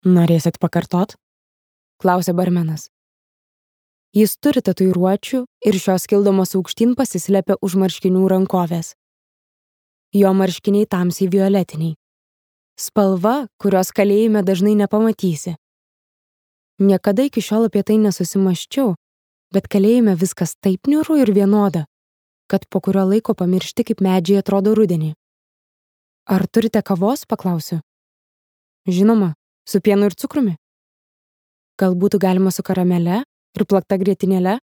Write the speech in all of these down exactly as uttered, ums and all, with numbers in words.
Norėsit pakartot? Klausė barmenas. Jis turi tatuiruočių ir šios kildamos aukštyn pasislepia už marškinių rankovės. Jo marškiniai tamsiai violetiniai. Spalva, kurios kalėjime dažnai nepamatysi. Niekada iki šiol apie tai nesusimaščiau, bet kalėjime viskas taip niūru ir vienoda, kad po kurio laiko pamiršti, kaip medžiai atrodo rudenį. Ar turite kavos, paklausiu? Žinoma, su pienu ir cukrumi. Gal būtų galima su karamele ir plakta grietinėle?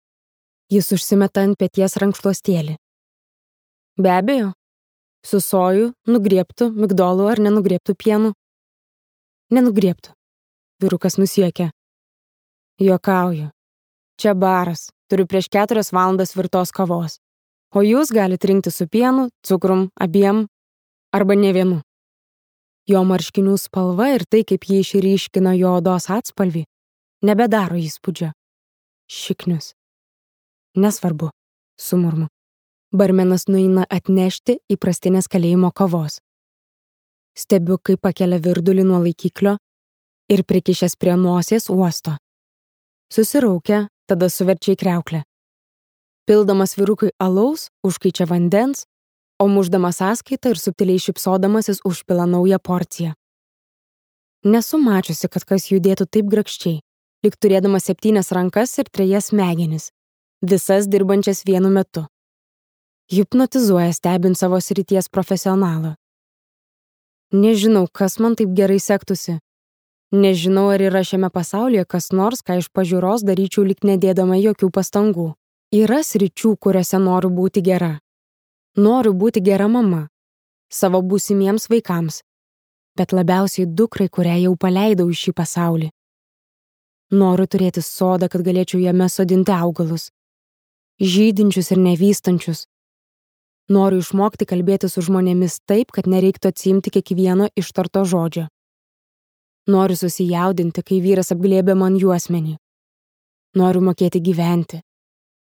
Jis užsimeta ant peties rankšluostėlį. Be abejo. Su soju, nugriebtų, migdolų ar nenugriebtų pienu? Nenugriebtų. Vyrukas nusiekė. Juokauju. Čia baras. Turiu prieš keturias valandas virtos kavos. O jūs galite rinkti su pienu, cukrum, abiem arba ne vienu. Jo marškinių spalva ir tai, kaip jį išryškino jo odos atspalvį, nebedaro įspūdžio. Šiknius. Nesvarbu, sumurmu. Barmenas nueina atnešti įprastinės kalėjimo kavos. Stebiu, kaip pakelia virdulį nuo laikiklio ir prikišęs prie nosies uosto. Susiraukia, tada suverčia į kriauklę. Pildamas vyrukui alaus, užkaičia vandens, o mušdamas sąskaitą ir subtiliai šypsodamasis užpila naują porciją. Nesu mačiusi, kad kas judėtų taip grakščiai, lyg turėdamas septynias rankas ir trejas smegenis, visas dirbančias vienu metu. Hipnotizuoja stebint savo srities profesionalą. Nežinau, kas man taip gerai sektųsi. Nežinau, ar yra šiame pasaulyje kas nors, ką iš pažiūros daryčiau lyg nedėdama jokių pastangų. Yra sričių, kuriuose noriu būti gera. Noriu būti gera mama. Savo būsimiems vaikams. Bet labiausiai dukrai, kurią jau paleidau į šį pasaulį. Noriu turėti sodą, kad galėčiau jame sodinti augalus. Žydinčius ir nevystančius. Noriu išmokti kalbėti su žmonėmis taip, kad nereiktų atsiimti kiekvieno ištarto žodžio. Noriu susijaudinti, kai vyras apglėbė man juosmenį. Noriu mokėti gyventi.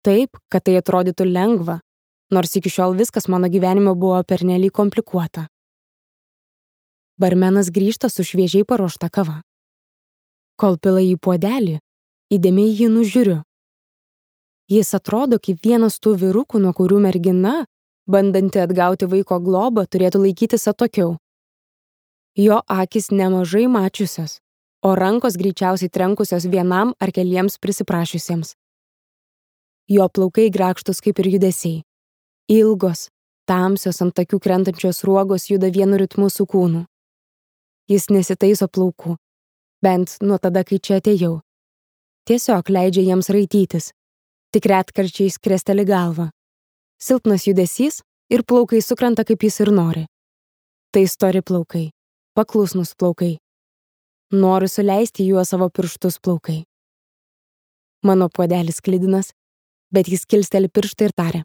Taip, kad tai atrodytų lengva, nors iki šiol viskas mano gyvenime buvo pernelyg komplikuota. Barmenas grįžta su šviežiai paruošta kava. Kol pila į puodelį, įdėmiai jį nužiūriu. Jis atrodo kaip vienas tų vyrukų, nuo kurių mergina, bandanti atgauti vaiko globą, turėtų laikytis atokiau. Jo akys nemažai mačiusios, o rankos greičiausiai trenkusios vienam ar keliems prisiprašiusiems. Jo plaukai grakštus kaip ir judesiai. Ilgos, tamsios ant akių krentančios ruogos juda vienu ritmu su kūnu. Jis nesitaiso plaukų, bent nuo tada, kai čia atėjau. Tiesiog leidžia jiems raitytis, tik retkarčiais kresteli galvą. Silpnas judesys ir plaukai sukrenta, kaip jis ir nori. Tai stori plaukai, paklusnus plaukai. Noriu suleisti juo savo pirštus plaukai. Mano puodelis sklidinas, bet jis kilsteli pirštą ir taria.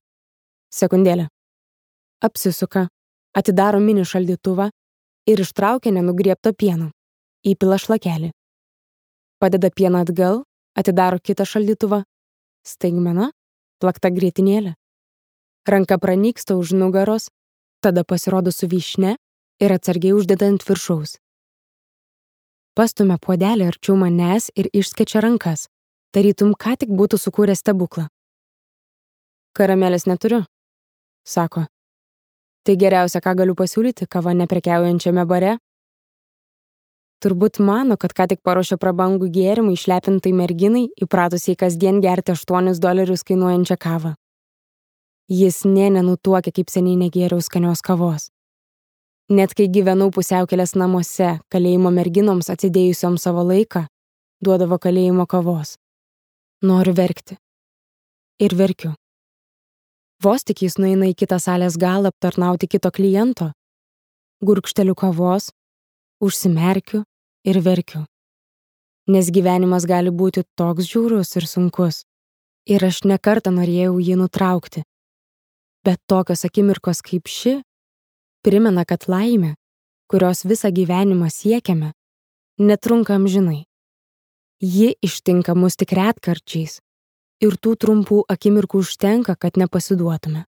Sekundėlę. Apsisuka, atidaro mini šaldytuvą ir ištraukia nenugriebto pieno. Įpila šlakelį. Padeda pieną atgal, atidaro kitą šaldytuvą. Staigmena, plakta grietinėlė. Ranka pranyksta už nugaros, tada pasirodo su vyšne ir atsargiai uždeda ant viršaus. Pastumia puodelį arčiau manęs ir išskečia rankas, tarytum ką tik būtų sukūręs stebuklą. Karamelės neturiu, sako. Tai geriausia, ką galiu pasiūlyti, kava neprekiaujančiame bare. Turbūt mano, kad ką tik paruošė prabangų gėrimą išlepintai merginai, įpratusiai kasdien gerti aštuonis dolerius kainuojančią kavą. Jis nė nenutuokia, kaip seniai negėriau skanios kavos. Net kai gyvenau pusiaukelės namuose, kalėjimo merginoms atsidėjusioms savo laiką, duodavo kalėjimo kavos. Noriu verkti. Ir verkiu. Vos tik jis nueina į kitą salės galą aptarnauti kito kliento, gurkšteliu kavos, užsimerkiu ir verkiu. Nes gyvenimas gali būti toks žiaurus ir sunkus. Ir aš nekartą norėjau jį nutraukti. Bet tokios akimirkos kaip ši primena, kad laimė, kurios visą gyvenimą siekiame, netrunka amžinai. Ji ištinka mus tik retkarčiais ir tų trumpų akimirkų užtenka, kad nepasiduotume.